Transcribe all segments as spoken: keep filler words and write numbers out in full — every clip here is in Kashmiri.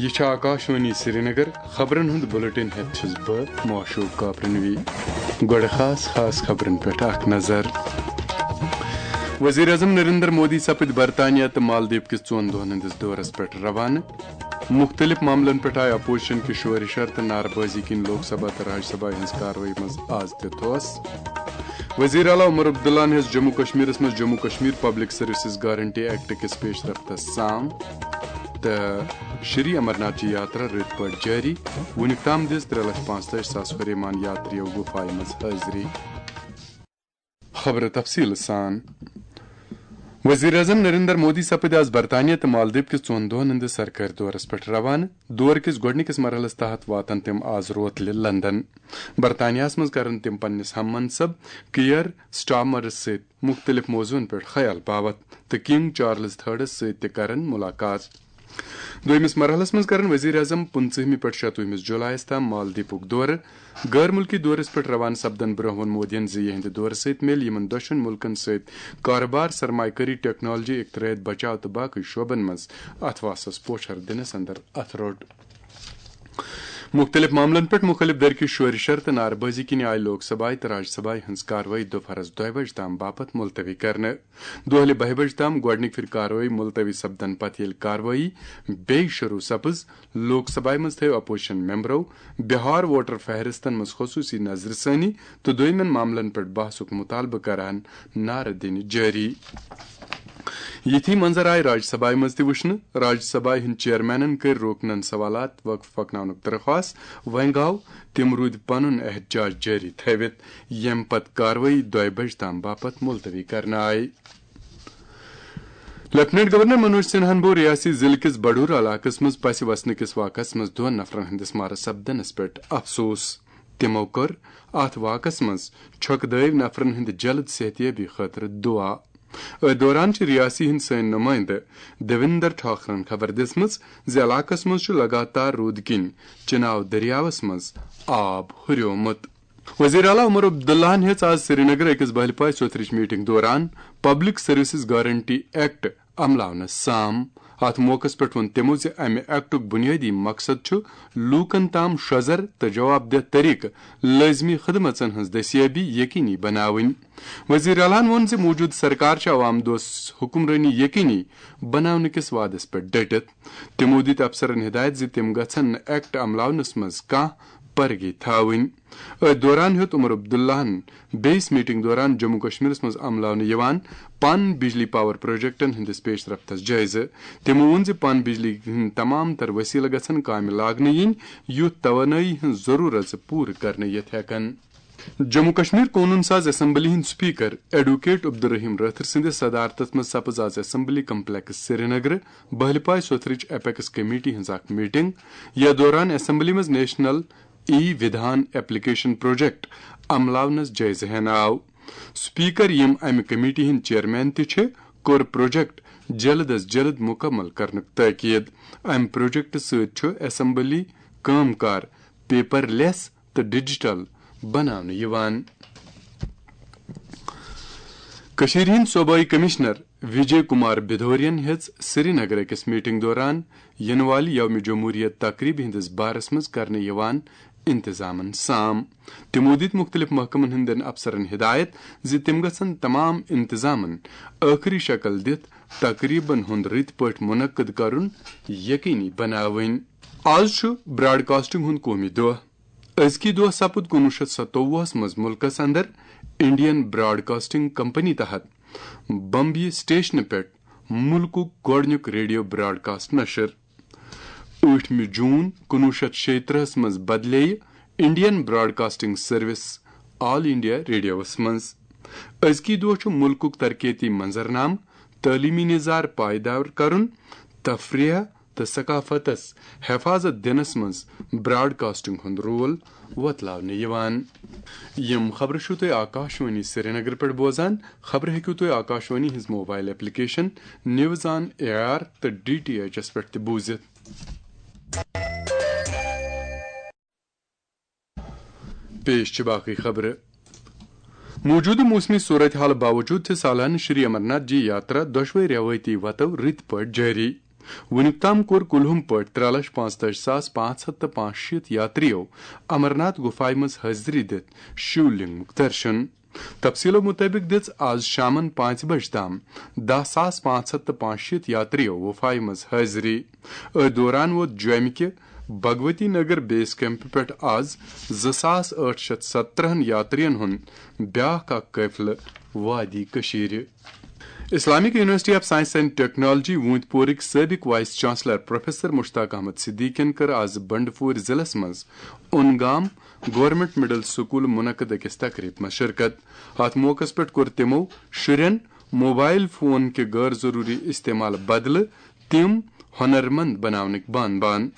یہِ چھِ آکاشوانی سرینگر۔ خبرن ہُنٛد بُلٹن ہٮ۪تھ چھُس بہٕ معشوق کاپرنوی۔ گۄڈٕ خاص خاص خبرن پٮ۪ٹھ اکھ نظر۔ وزیر اعظم نریندر مودی سپٕدۍ برطانیہ تہٕ مالدیپ کِس ژۄن دۄہن ہٕنٛدِس دورس پٮ۪ٹھ روانہٕ۔ مُختٔلِف معاملن پٮ۪ٹھ آیہِ اپوزیشن کہِ شورِ شر تہٕ نعرٕ بٲزی کِنۍ لوک سبھا تہٕ راج سبھا ہٕنٛز کاروٲیی منٛز آز تہِ تھوس۔ وزیر اعلیٰ عمر عبداللہن ہیٚژ جموں کشمیرس منٛز Jammu Kashmir public services guarantee act کِس پیش رفتس سام تہٕ شری امرناتھ جی یاترا رٕتۍ پٲٹھۍ جٲری۔ وُنیُک تام دِژ ترٛےٚ لچھ پانٛژتٲجۍ ساس ہُریمان یاترِیو گُفایہِ منٛز حٲضری۔ خبرٕ تفصیٖل سان۔ وزیر اعظم نریندر مودی سپٕدۍ آز برطانیہ تہٕ مالدیپ کِس ژۄن دۄہن ہٕنٛدِس سرکٲرۍ دورس پٮ۪ٹھ روانہٕ۔ دور کِس گۄڈٕنِکِس مرحلس تحت واتن تِم آز روتلہِ لندن۔ برطانیہس منٛز کرن تِم پننِس ہم منصب کیئر سٹارمرس سۭتۍ مُختٔلِف موضوعن پٮ۪ٹھ خیال باوتھ تہٕ کنگ چارلز تھرڈس سۭتۍ تہِ کرن مُلاقات۔ دوٚیمِس مرحلس منٛز کرن وزیر اعظم پٕنٛژٕہمہِ پٮ۪ٹھ شَتوُہمِس جولایس تام مالدیپُک دورٕ۔ غٲر مُلکی دورس پٮ۪ٹھ روانہٕ سپدن برونٛہہ ووٚن مودیَن زِ یِہنٛدِ دورٕ سۭتۍ میلہِ یِمن دۄشوٕنۍ مُلکن سۭتۍ کارٕبار، سرمایہ کٲری، ٹیکنالوجی، اختراعات، بچاو تہٕ باقٕے شعبن منٛز اتھواسس پوچھر دِنس اندر اتھٕ روٚٹ۔ مُختٔلِف معاملن پٮ۪ٹھ مُخٲلِف دھرکہِ شورِ شر تہٕ نعرٕ بٲزی کِنۍ آیہِ لوک سبھایہِ تہٕ راج سبھایہِ ہٕنٛز کاروٲیی دُپہرس دۄیہِ بجہِ تام باپتھ مُلتوی کرنہٕ۔ دۄہلہِ بَہہِ بجہِ تام گۄڈٕنِکۍ پھِرِ کاروٲیی مُلتوی سپدن پتہٕ ییٚلہِ کاروٲیی بیٚیہِ شروٗع سپٕز، لوک سبھایہِ منٛز تھٲو اپوزیشن ممبرو بہار ووٹر فہرستن منٛز خصوٗصی نظرِ ثٲنی تہٕ دوٚیمٮ۪ن معاملن پٮ۪ٹھ بحثُک مُطالبہٕ کران نعرٕ دِنہِ جٲری۔ یِتھی منظر آیہِ راج سبھایہِ منٛز تہِ وٕچھنہٕ۔ راج سبھایہِ ہٕنٛدۍ چیئرمینن کٔرۍ روکنن سوالات وقف پکناونُک درخواست۔ وۄنۍ گوٚو تِم روٗدۍ پنُن احتجاج جٲری تھٲوِتھ، ییٚمہِ پتہٕ کاروٲیی دۄیہِ بجہِ تام باپتھ مُلتوی کرنہٕ آیہِ۔ لیفٹیننٹ گورنر منوج سنہاہن بوو ریاستی ضلعہٕ کِس بڈور علاقس منٛز پسہِ وسنہٕ کِس واقعس منٛز دۄن نفرن ہٕنٛدِس مارٕ سپدنس پٮ۪ٹھ افسوس۔ تِمو کٔر اتھ واقعس منٛز چھۄکہٕ دٲوۍ نفرن ہٕنٛدِ جلد صحتیابی خٲطرٕ دُعا۔ أتھۍ دوران چھِ ریاستی ہٕنٛدۍ سٲنۍ نُمٲیندٕ دیویندر ٹھاکرن خبر دِژمٕژ زِ علاقس منٛز چھُ لگاتار روٗدٕ کِنۍ چناو دٔریاوس منٛز آب ہُریومُت۔ وزیر اعلیٰ عمر عبداللہن ہیٚژ آز سرینگرٕ أکِس بہلہِ پاے سوتھرٕچ میٹنگ دوران پبلک سروسز گارنٹی ایکٹ عملاونس سام۔ اتھ موقعس پٮ۪ٹھ ووٚن تِمو زِ امہِ ایکٹُک بُنیٲدی مقصد چھُ لوٗکن تام شۄزر تہٕ جواب دہ طریقہٕ لٲزمی خدمژن ہٕنٛز دستیٲبی یقینی بناوٕنۍ۔ وزیر اعلیٰ ہن ووٚن زِ موٗجوٗدٕ سرکار چھِ عوام دوست حکمرٲنی یقینی بناونہٕ کِس وعدس پٮ۪ٹھ ڈٔٹِتھ۔ تِمو دِتۍ افسرن ہدایت زِ تِم گژھن نہٕ ایکٹ عملاونس منٛز کانٛہہ پرگی تھاوٕنۍ۔ أتھۍ دوران ہیوٚت عمر عبداللہن بیٚیِس میٹنگ دوران جموں کشمیرس منٛز عملاونہٕ یِوان پن بجلی پاور پروجیکٹن ہٕنٛدِس پیش رفتس جٲیزٕ۔ تِمو ووٚن زِ پن بجلی ہٕنٛدۍ تمام تر وسیلہٕ گژھن کامہِ لاگنہٕ یِنۍ، یُتھ توانٲیی ہٕنٛز ضروٗرژ پوٗرٕ کرنہٕ یِتھ ہٮ۪کن۔ جموں کشمیر قونوٗن ساز اسمبلی ہٕنٛدۍ سپیکر ایڈوکیٹ عبدالرحیم رٲتھر سٕنٛدِس صدارتس منٛز سپٕز آز اسمبلی کمپلیکس سرینگرٕ بہلہِ پاے سوتھرٕچ اپیکس کمیٹی ہٕنٛز اکھ میٹنگ۔ یتھ دوران اسمبلی منٛز نیشنل ای ودھان ایپلیکیشن پروجیکٹ عملاونس جٲیزٕ ہٮ۪نہٕ آو۔ سپیکر، یِم امہِ کمیٹی ہٕنٛدۍ چیئرمین تہِ چھِ، کوٚر پروجیکٹ جلد از جلد مکمل کرنُک تاکید۔ امہِ پروجیکٹ سۭتۍ چھُ اسمبلی کٲم کار پیپر لیس تہٕ ڈیجیٹل بناونہٕ یِوان۔ کٔشیٖرِ ہٕنٛدۍ صوبٲئی کمشنر وجے کمار بھدورین ہیٚژ سرینگر أکِس میٹنگ دوران یِنہٕ والہِ یوم جمہوریہ تقریبہِ ہٕنٛدِس بارس منٛز کرنہٕ یِوان انتظامن سام۔ تِمو دِتۍ مُختٔلِف محکمن ہٕنٛدٮ۪ن افسرن ہدایت زِ تِم گژھن تمام انتظامن ٲخری شکل دِتھ تقریبن ہُنٛد رٕتۍ پٲٹھۍ منعقد کرُن یقینی بناوٕنۍ۔ آز چھُ براڈ کاسٹنگ ہُنٛد قومی دۄہ۔ أزکی دۄہ سپُد کُنوُہ شیٚتھ ستووُہس منٛز مُلکس اندر انڈین براڈ کاسٹنگ کمپنی تحت بمبیہِ سٹیشنہٕ پٮ۪ٹھ مُلکُک گۄڈٕنیُک ریڈیو براڈ کاسٹ نشر۔ ٲٹھمہِ جوٗن کُنوُہ شیٚتھ شیٚیہِ ترٕٛہس منٛز بدلییہِ انڈین براڈ کاسٹنگ سروس آل انڈیا ریڈیوس منٛز۔ أزکی دۄہ چھُ مُلکُک ترقیتی منظرنامہٕ، تعلیمی نظار پائیدار کرُن، تفریح تہٕ ثقافتس حفاظت دِنس منٛز براڈ کاسٹنگ ہُنٛد رول وۄتلاونہٕ یِوان۔ یِم خبرٕ چھِو تُہۍ آکاشوانی سرینگر پٮ۪ٹھ بوزان۔ خبرٕ ہیٚکِو تُہۍ آکاشوانی ہٕنٛز mobile application news on A R تہٕ ڈی ٹی ایچ ایس پٮ۪ٹھ تہِ بوٗزِتھ۔ پیش چھِ باقٕے خبرٕ۔ موجودٕ موسمی صورتحال باوجود چھِ سالانہٕ شری امرناتھ جی یاترا دۄشوے روایتی وتو رٕتۍ پٲٹھۍ جٲری۔ وُنیُک تام کوٚر کُلہُم پٲٹھۍ ترٛےٚ لچھ پانٛژتٲجی ساس پانٛژھ ہتھ تہٕ پانٛژھ شیٖتھ یاترِیو امرناتھ گُفایہِ منٛز حٲضری دِتھ شِولنگُک درشُن۔ تفصیٖلو مُطٲبِق دِژ آز شامَن پانٛژِ بجہِ تام دَہ ساس پانٛژھ ہتھ تہٕ پانٛژھ شیٖتھ یاترِیو گُفایہِ منٛز حٲضری۔ أتھۍ دوران ووت جوٚمہِ کہِ بھگوتی نگر بیس کیمپہٕ پٮ۪ٹھ آز زٕ ساس ٲٹھ شیٚتھ ستترہن یاترِین ہُنٛد بیٛاکھ اکھ قٲفلہٕ وادی کٔشیٖرِ۔ Islamic university of science and technology وونت پورٕکۍ سٲبق vice chancellor professor Mushtaq Ahmad صدیقین کٔر آز بنڈپور ضلعس منٛز اونگام گورنمنٹ مڈل سکول منعقد أکِس تقریب منٛز شرکت۔ اتھ موقعس پٮ۪ٹھ کوٚر تِمو شُرٮ۪ن موبائل فون کہِ غٲر ضروری استعمال بدلہٕ تِم ہنرمند بناونٕکۍ بان بان۔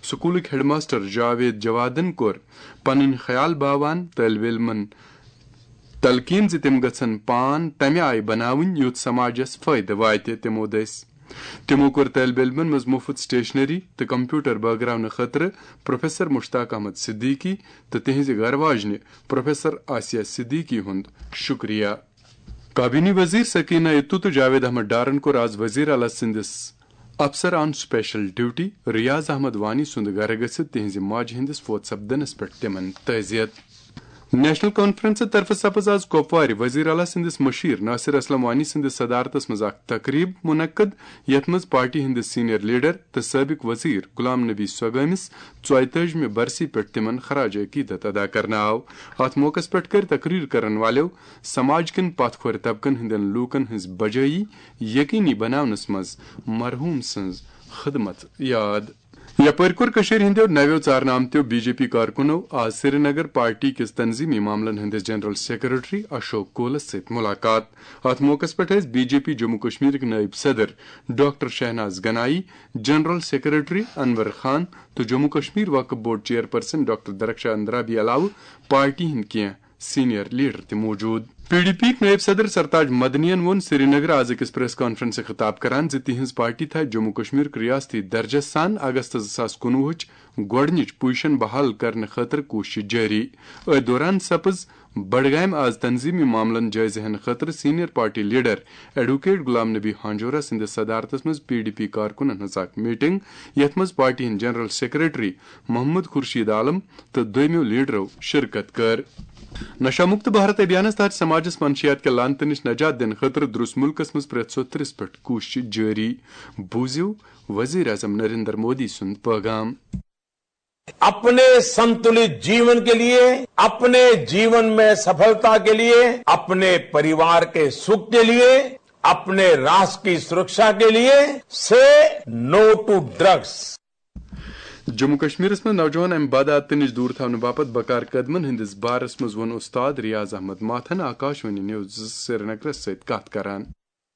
سکولٕکۍ ہیڈ ماسٹر جاوید جوادن کوٚر پنٕنۍ خیال باوان طٲلب علمن تلقین زِ تِم گژھن پان تمہِ آیہِ بناوٕنۍ یُتھ سماجس فٲیدٕ واتہِ۔ تِمو دٔسۍ تِمو کوٚر طٲلب علمن منٛز مُفت سٹیشنری تہٕ کمپیوٹر بٲگراونہٕ خٲطرٕ پروفیسر مشتاق احمد صدیقی تہٕ تِہنزِ گرٕ واجنہِ پروفیسر آسیہ صدیقی ہُنٛد شُکریہ۔ کابینی وزیر سکینہ اتو تہٕ جاوید احمد ڈارن کوٚر آز وزیر اعلیٰ سٕنٛدِس افسر آن سپیشل ڈیوٹی ریاض احمد وانی سُنٛد گرٕ گٔژھِتھ تِہنٛزِ ماجہِ ہٕنٛدِس فوت سپدنس پٮ۪ٹھ تِمن تعزیت۔ نیشنل کانفرنس طرفہٕ سپٕز آز کۄپوارِ وزیر اعلیٰ سٕنٛدِس مشیر ناصر اسلم وانی سٕنٛدِس صدارتس منٛز اکھ تقریب منعقد، یتھ منٛز پارٹی ہٕنٛدِس سینئر لیڈر تہٕ سٲبق وزیر غلام نبی سوگٲمِس ژۄیتٲجمہِ برسی پٮ۪ٹھ تِمن خراج عقیدت ادا کرنہٕ آو۔ اتھ موقعس پٮ۪ٹھ کٔرۍ تقریر کرن والٮ۪و سماج کٮ۪ن پتھ کھورِ طبقن ہٕنٛدٮ۪ن لوٗکن ہٕنٛز بجٲیی یقینی بناونس منٛز مرحوم سٕنٛز خدمت یاد۔ یپٲرۍ کوٚر کٔشیٖرِ ہٕنٛدیو نویو ژارنہٕ آمتیو بی جے پی کارکُنو آز سرینگر پارٹی کِس تنظیمی معاملن ہٕنٛدِس جنرل سیکرٹری اشوک کولس سۭتۍ مُلاقات۔ اتھ موقعس پٮ۪ٹھ ٲسۍ بی جے پی جموں کشمیرٕکۍ نٲیِب صدر doctor Shahnaz Ganai, general secretary Anwar Khan تہٕ جموں کشمیر وقف board chairperson doctor Darakhshan Andrabi علاوٕ پارٹی ہٕنٛدۍ کینٛہہ سینئر لیڈر تہِ موجود۔ پی ڈی پی یِکۍ نٲیِب صدر سرتاج مدنین ووٚن سرینگرٕ آز أکِس پریس کانفرنسہِ خطاب کران زِ تِہنٛز پارٹی تھایہِ جموں کشمیرُک ریاستی درجس سان اگست زٕ ساس کُنوُہٕچ گۄڈٕنِچ پوزیشن بحال کرنہٕ خٲطرٕ کوٗشش جٲری۔ أتھۍ دوران سپٕز بڈگامہِ آز تنظیمی معاملن جٲیزٕ ہینہٕ خٲطرٕ senior party leader advocate Ghulam Nabi Hanjura سٕنٛدِس صدارتس منٛز پی ڈی پی کارکُنن ہٕنٛز اکھ میٹنگ، یتھ منٛز پارٹی ہٕنٛدۍ جنرل سیکرٹری محمد خورشید عالم تہٕ دوٚیمٮ۪و لیڈرو شرکت کٔر۔ نشہ مکت بھارت ابھیانس تحت سماجس منشیات کہِ لعنتہٕ نِش نجات دِنہٕ خٲطرٕ درٛوس مُلکس منٛز پرٛٮ۪تھ ژۄترٕہس پٮ۪ٹھ کوٗشش جٲری۔ بوٗزِو وزیر اعظم نریندر مودی سُنٛد پٲغام۔ अपने संतुलित जीवन के लिए, अपने जीवन में सफलता के लिए, अपने परिवार के सुख के लिए, अपने राष्ट्र की सुरक्षा के लिए, say no to drugs. Jammu کشمیرس منٛز نوجوان امہِ بدعاتہٕ نِش دوٗر تھاونہٕ باپتھ بکار قدمن ہٕنٛدِس بارس منٛز ووٚن استاد ریاض احمد ماتھن آکاشوانی نیوز سرینگرس سۭتۍ کتھ کران۔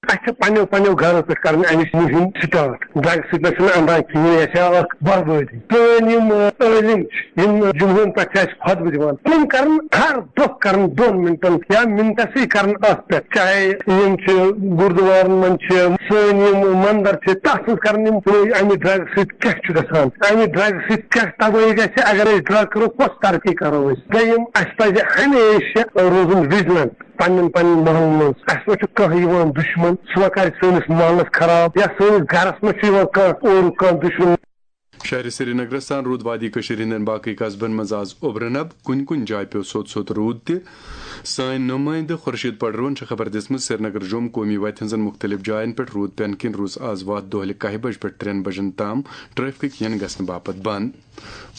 اَسہِ چھِ پننیو پننیو گرو پٮ۪ٹھ کرٕنۍ اَمِچ مُہِم سٹارٹ۔ ڈرگس سۭتۍ نہ چھُنہٕ اندان کِہیٖنۍ، یہِ چھِ اکھ بربٲدی۔ سٲنۍ یِم، آ، عٲلِم چھِ، یِم جمعہن پٮ۪ٹھ چھِ اَسہِ خطبہٕ دِوان، تِم کرن ہر دۄہ کرن دۄن منٹن یا منٹسٕے کرن اَتھ پٮ۪ٹھ، چاہے یِم چھِ گُردوارن منٛز چھِ، سٲنۍ یِم مندر چھِ، تتھ منٛز کرن یِم پٲدٕ اَمہِ ڈرگہٕ سۭتۍ کیٛاہ چھُ گژھان، اَمہِ ڈرگہٕ سۭتۍ کیٛاہ تبٲہی گژھِ۔ اگر أسۍ ڈرگ کرو، کۄس ترقی کرو أسۍ؟ دوٚیِم، اَسہِ پزِ ہمیشہِ روزُن وجلنٹ۔ پننٮ۪ن پننٮ۪ن محلن منٛز اَسہِ ما چھُ کانٛہہ یِوان دُشمن، سُہ ما کرِ سٲنِس محلس خراب، یا سٲنِس گرس منٛز چھُ یِوان کانٛہہ اورُک کانٛہہ دُشمن۔ شہرِ سرینگرس سان روٗد وادی کٔشیٖرِ ہٕنٛدٮ۪ن باقٕے قصبن منٛز آز اوٚبرٕ نب، کُنہِ کُنہِ جایہِ پیوٚو سوٚت سوٚت روٗد تہِ۔ سٲنۍ نُمٲیندٕ خورشید پڈروہن چھےٚ خبر دِژمٕژ، سرینگر جوم قومی وتہِ ہٕنٛزن مُختٔلِف جاین پٮ۪ٹھ روٗد پٮ۪نہٕ کِنۍ روٗز آز وتھ دۄہلہِ کاہہِ بجہِ پٮ۪ٹھ ترٛٮ۪ن بجن تام ٹریفکٕکۍ یِنہٕ گژھنہٕ باپتھ بنٛد۔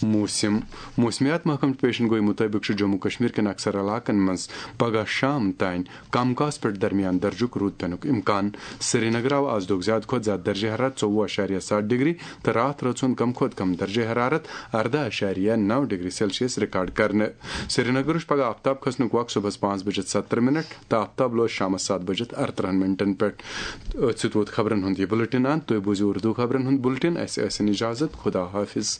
موسم۔ موسمیات محکمہٕ چہِ پیشن گویی مُطٲبِق چھُ جموں کشمیر کٮ۪ن اکثر علاقن منٛز پگہہ شام تام کم کاس پٮ۪ٹھ درمیان درجُک روٗد پینُک امکان۔ سرینگر آو آز دۄہُک زیادٕ کھۄتہٕ زیادٕ درجہ حرارت ژوٚوُہ اعشاریہ ستھ ڈگری تہٕ راتھ رٲژ ہُنٛد کم کھۄتہٕ کم درجہ حرارت ارداہ اعشاریہ نو ڈگری سیلسیس ریکارڈ کرنہٕ۔ سرینگرٕچ پگہہ آفتاب کھسنُک وق صبحس پانٛژھ بجے ستترہ منٹ تہٕ آفتاب لوس شامس ستھ بجے ارترہن منٹن پٮ۪ٹھ۔ أتھۍ سۭتۍ ووت خبرن ہُنٛد یہِ بُلٹن اند۔ تُہۍ بوٗزِو اردو خبرن ہُنٛد بُلٹن۔ اسہِ ٲسِن اجازت۔ خدا حافظ۔